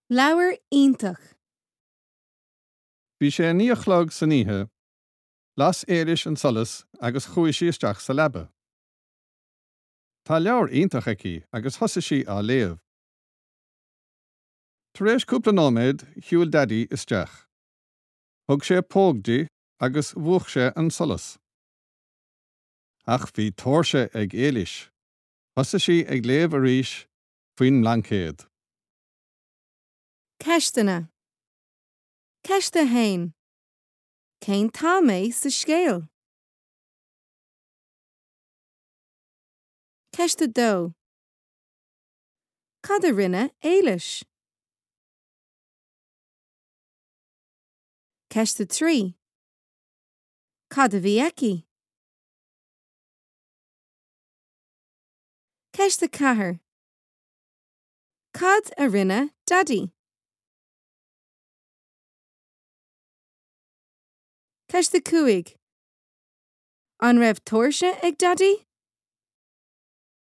Leabhar iontach. Bhí sé a 9 a chlog san oíche. Las Éilis an solas agus chuaigh sí isteach sa leaba. Tá leabhar iontach aici agus thosaigh sí á léamh. Tar éis cúpla nóiméad, shiúil Daidí isteach. Thug sé póg di agus mhúch sé an solas. Ach bhí tóirse ag Éilis. Thosaigh sí ag léamh arís faoin mblaincéad. Ceisteanna. Ceist 1. Cén t-am é sa scéal? Ceist 2. Cad a rinne Éilis? Ceist 3. Cad a bhí aici? Ceist 4. Cad a rinne Daidí? Ceist 5. An raibh tóirse ag Daidí?